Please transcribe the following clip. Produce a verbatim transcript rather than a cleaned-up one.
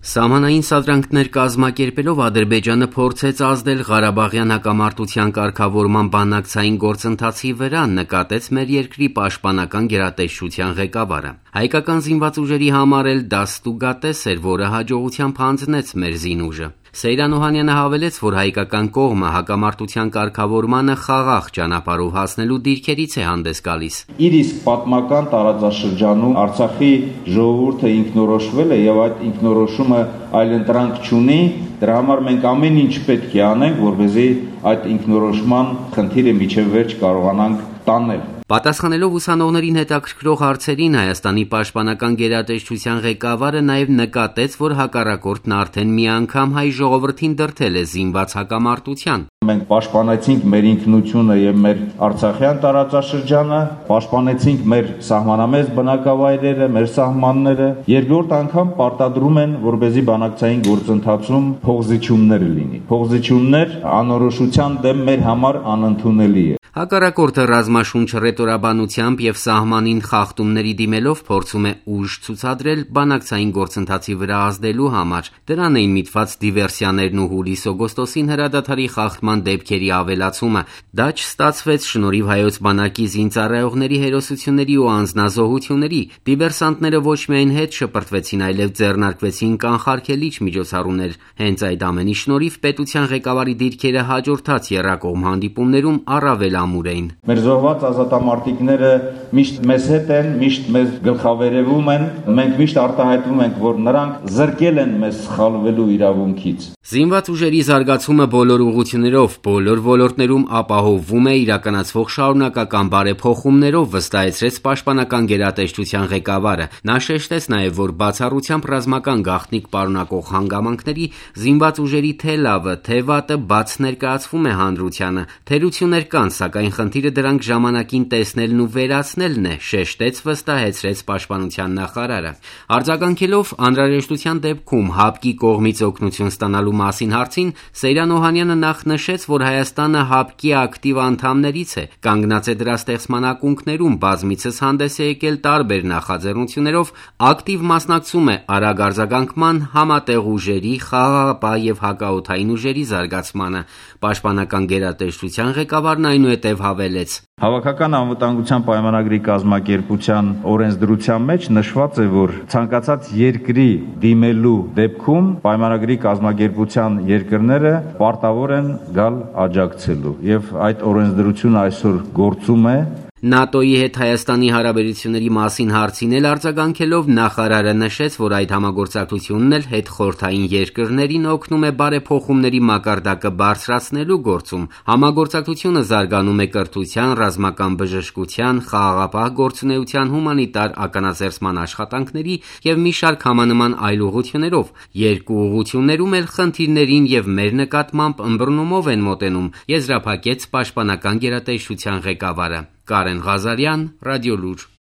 Սահմանային սադրանքներ կազմակերպելով Ադրբեջանը փորձեց ազդել Ղարաբաղյան հակամարտության կարգավորման բանակցային գործընթացի վրա, նկատեց մեր երկրի պաշտպանական գերատեսչության ղեկավարը։ Հայկական զինված ուժերի համար էլ դա ստուգատես էր, որը հաջողությամբ հանձնեց մեր զինուժը։ Սեյրան Օհանյանը հավելեց, որ հայկական կողմը հակամարտության կարգավորմանը խաղաղ ճանապարհով հասնելու դիրքերից է հանդես գալիս։ Իր իսկ պատմական տարածաշրջանում Արցախի ժողովուրդը ինքնորոշվել է եւ այդ ինքնորոշումը այլընտրանք չունի, դրա համար մենք ամեն ինչ պետք է անենք, որպեսզի այդ ինքնորոշման խնդիրը միջև վերջ կարողանանք տանել։ Պատասխանելով ուսանողներին հետաքրքրող հարցերին, Հայաստանի պաշտպանական գերատեսչության ղեկավարը նաև նկատեց, որ հակառակորդն արդեն մի անգամ հայ ժողովրդին դրդել է զինված հակամարտության։ Մենք պաշտպանեցինք մեր ինքնությունը եւ մեր արցախյան տարածաշրջանը, պաշտպանեցինք մեր սահմանամերձ բնակավայրերը, մեր սահմանները։ Երկրորդ անգամ պարտադրում են, որպեսզի բանակցային գործընթացում փոխզիջումներ լինի։ Փոխզիջումներ անորոշության դեմ մեր համար անընդունելի է։ Հակառակորդը ռազմաշունչ ռետորաբանությամբ եւ սահմանին խախտումների դիմելով փորձում է ուժ ցուցադրել բանակցային գործընթացի վրա ազդելու համար։ Դրան էին միտված դիվերսիաներն ու հուլիս-օգոստոսին հրադադարի խախտման դեպքերի ավելացումը։ Դա չստացվեց շնորհիվ հայոց բանակի զինծառայողների հերոսությունների ու անձնազոհությունների։ Դիվերսանտները ոչ միայն հետ շպրտվեցին, այլև ձեռնարկվեցին կանխարգելիչ միջոցառումներ։ Հենց այդ ամենի շնորհիվ պետության ղեկավարի դիրքերը հաջորդած եռակողմ հանդիպումներում առավել ամուր էին։ Մեր զոհված ազատամարտիկները միշտ մեզ հետ են, միշտ մեզ գլխավերևում են, մենք միշտ արտահայտվում ենք, որ նրանք զրկել են մեզ սխալվելու իրավունքից։ Զինված ուժերի զարգացումը բոլոր ուղղություններով, բոլոր ոլորտներում ապահովվում է իրականացվող շարունակական բարեփոխումներով, վստահեցրեց պաշտպանական գերատեսչության ղեկավարը։ Նա շեշտեց նաև, որ բացառությամբ ռազմական գաղտնիք պարունակող հանգամանքների զինված ուժերի թե լավը, թե վատը բաց ներկայացվում է հանրությանը։ Թերություններ կան, սակայն խնդիրը դրանք ժամանակին տեսնելն ու վերացնելն է, շեշտեց, վստահեցրեց պաշտպանության նախարարը։ Արձագանքելով անհրաժեշտության դեպքում ՀԱՊԿ-ի կողմից օգնություն ստանալու մասին հարցին, Սեյրան Օհանյանը նախ նշեց, որ Հայաստանը ՀԱՊԿ-ի ակտիվ անդամներից է, կանգնած է դրա ստեղծման ակունքներում, բազմիցս հանդես է եկել տարբեր նախաձեռնություններով, ակտիվ մասնակցում է արագ արձագանքման, համատեղ ուժերի, խաղաղապահ եւ հակաօդային ուժերի զարգացմանը։ Պաշտպանական գերատեսչության ղեկավարն այնուհետև հավելեց. Հավաքական անվտանգության պայմանագրի կազմակերպության օրենսդրության մեջ նշված է, որ ցանկացած երկրի դիմելու դեպքում պայմանագրի կազմակերպության երկրները պարտավոր են գալ աջակցելու, եւ այդ օրենսդրությունը այսօր գործում է։ ՆԱՏՕ-ի հետ Հայաստանի հարաբերությունների մասին հարցին էլ արձագանքելով նախարարը նշեց, որ այդ համագործակցությունն էլ հետխորհրդային երկրներին օգնում է բարեփոխումների մակարդակը բարձրացնելու գործում։ Համագործակցությունը զարգանում է կրթության, ռազմական բժշկության, խաղաղապահ գործունեության, հումանիտար ականաձերծման աշխատանքների եւ մի շարք համանման այլ ուղղություններով։ Երկու ուղղություններում էլ խնդիրներին եւ մեր նկատմամբ ըմբռնումով են մոտենում, եզրափակեց պաշտպանական գերատեսչության ղեկավարը։ Կարեն Ղազարյան, Ռադիոլուր։